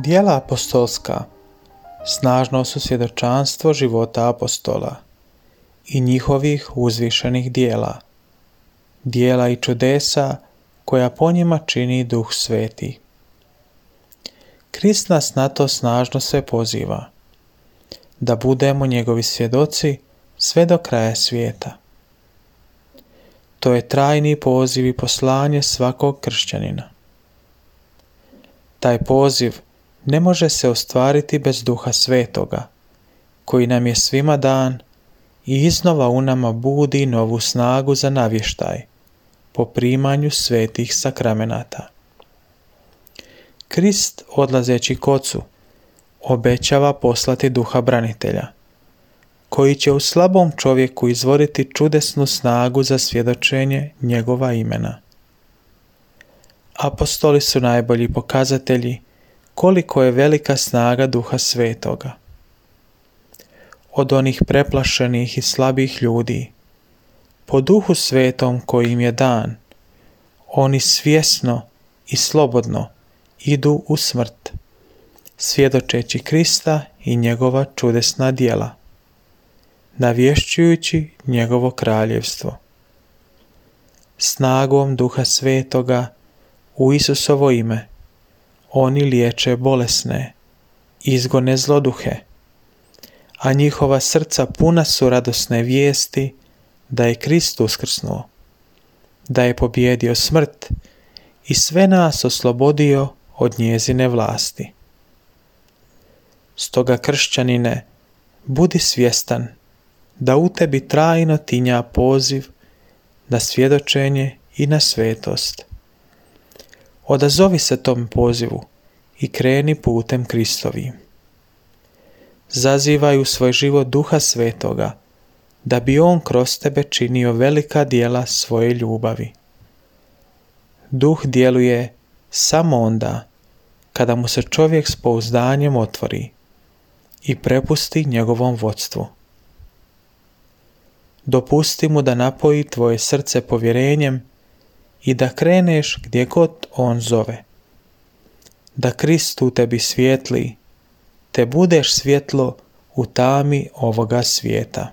Djela apostolska snažno su svjedočanstvo života apostola i njihovih uzvišenih djela, djela i čudesa koja po njima čini Duh Sveti. Krist nas na to snažno sve poziva, da budemo njegovi svjedoci sve do kraja svijeta. To je trajni poziv i poslanje svakog kršćanina. Taj poziv ne može se ostvariti bez Duha Svetoga, koji nam je svima dan i iznova u nama budi novu snagu za navještaj po primanju svetih sakramenata. Krist, odlazeći k Ocu, obećava poslati Duha branitelja, koji će u slabom čovjeku izvoriti čudesnu snagu za svjedočenje njegova imena. Apostoli su najbolji pokazatelji koliko je velika snaga Duha Svetoga. Od onih preplašenih i slabih ljudi, po Duhu Svetom koji im je dan, oni svjesno i slobodno idu u smrt, svjedočeći Krista i njegova čudesna djela, navješćujući njegovo kraljevstvo. Snagom Duha Svetoga u Isusovo ime oni liječe bolesne, izgone zloduhe, a njihova srca puna su radosne vijesti da je Krist uskrsnuo, da je pobijedio smrt i sve nas oslobodio od njezine vlasti. Stoga, kršćanine, budi svjestan da u tebi trajno tinja poziv na svjedočenje i na svetost. Odazovi se tom pozivu i kreni putem Kristovim. Zazivaj u svoj život Duha Svetoga, da bi on kroz tebe činio velika djela svoje ljubavi. Duh djeluje samo onda kada mu se čovjek s pouzdanjem otvori i prepusti njegovom vodstvu. Dopusti mu da napoji tvoje srce povjerenjem i da kreneš gdje god on zove. Da Krist u tebi svijetli, te budeš svjetlo u tami ovoga svijeta.